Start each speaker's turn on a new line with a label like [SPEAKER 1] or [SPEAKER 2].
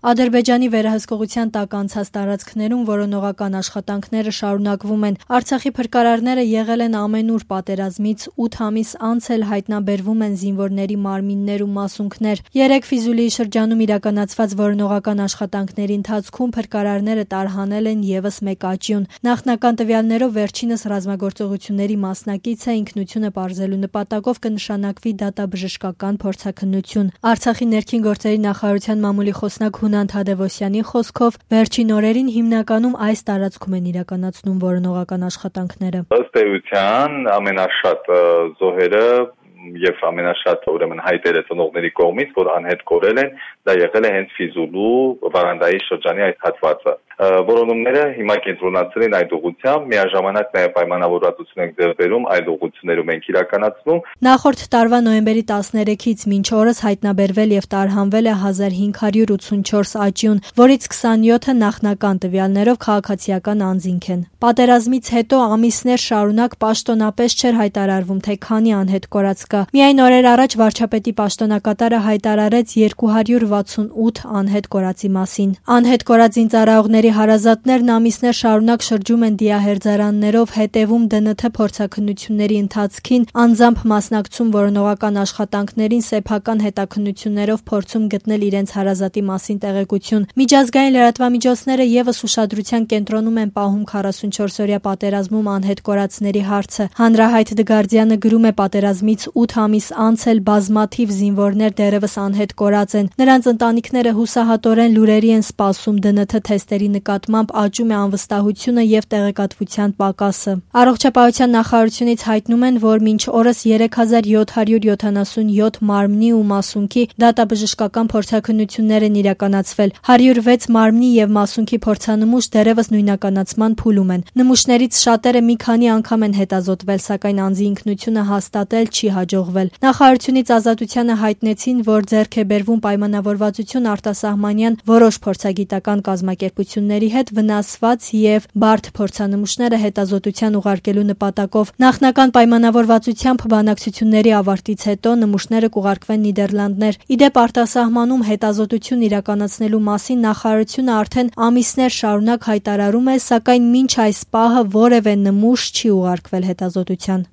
[SPEAKER 1] Ադրբեջանի վերահսկողության տակ անցած տարածքներում որոնողական աշխատանքները շարունակվում են։ Արցախի փրկարարները եղել են ամենուր պատերազմից 8 ամիս անց էլ հայտնաբերվում են զինվորների մարմիններ ու մասունքներ։ 3 Ֆիզուլիի շրջանում իրականացված որոնողական աշխատանքների ընթացքում փրկարարները տարհանել են ևս մեկ աճյուն։ Նախնական տվյալներով վերջինս ռազմագործողությունների մասնակից է, ինքնությունը պարզելու նպատակով կնշանակվի դատաբժշկական փորձաքննություն։ Արցախի ներքին գործերի նախարարության մամուլի խոսնակ Հունան Թադևոսյանի խոսքով վերջին օրերին հիմնականում այս տարածքում են իրականացնում որոնողական աշխատանքները։
[SPEAKER 2] Ըստ էության ամենաշատ զոհերը եւ ամենաշատ հայտերը ծնողների կողմից, որ անհետ կորել են, դա եղել է հենց Ֆիզուլու Վարանդայի շրջանի այդ հատվածը։ Որոնումները հիմա կենտրոնացել են այդ ուղղությամբ, միաժամանակ նաև պայմանավորվածություն ենք ձեռք բերում այդ ուղղություններում ենք իրականացնում։
[SPEAKER 1] Նախորդ տարվա նոյեմբերի 13-ից մինչ օրս հայտնաբերվել եւ տարհանվել է 1584 աճյուն, որից 27-ը նախնական տվյալներով քաղաքացիական անձինք են։ Պատերազմից հետո ամիսներ շարունակ պաշտոնապես չէր հայտարարվում, թե քանի անհետ կորած կա։ Միայն օրեր առաջ վարչապետի պաշտոնակատարը հայտարարեց 268 անհետ կորածի մասին։ Անհետ կորած զինծառայողների հարազատներն ամիսներ շարունակ շրջում են դիահերձարաններով, հետևում ԴՆԹ փորձաքննությունների ընթացքին, անձամբ մասնակցում որոնողական աշխատանքներին, սեփական հետաքննություններով փորձում գտնել իրենց հարազատի մասին տեղեկություն։ Միջազգային լրատվամիջոցները ևս ուշադրության կենտրոնում են պահում 44-օրյա պատերազմում անհետ կորածների հարցը։ Հանրահայտ Դգարդյանը գրում է պատերազմից 8 ամիս անց էլ բազմաթիվ զինվորներ դեռևս անհետ կորած են։ Նրանց ընտանիքները հուսահատորեն լուրերի են սպասում, ԴՆԹ թեստերի նկատմամբ աճում է անվստահությունը եւ տեղեկատվության պակասը։ Առողջապահության նախարարությունից հայտնում են, որ մինչ օրս 3777 մարմնի ու մասունքի դատաբժշկական փորձաքննություններ են իրականացվել։ 106 մարմնի եւ մասունքի փորձանմուշ դեռևս նույնականացման փուլում են։ Նմուշներից շատերը մի քանի անգամ են հետազոտվել, սակայն անձի ինքնությունը հաստատել չի հաջողվել։ Նախարարությունից Ազատությանը հայտնեցին, որ ձեռք է բերվում պայմանավորվածություն արտասահմանյան որոշ փորձագիտական կազմակերպությունների հետ վնասված եւ բարդ փորձանմուշները հետազոտության ուղարկելու նպատակով։ Նախնական պայմանավորվածությամբ բանակցությունների ավարտից հետո նմուշները կուղարկվեն Նիդերլանդներ։ Իդեպ արտասահմանում հետազոտություն իրականացնելու մասին նախարարությունը արդեն ամիսներ շարունակ հայտարարում է, սակայն մինչ այս պահը որևէ նմուշ չի ուղարկվել հետազոտության։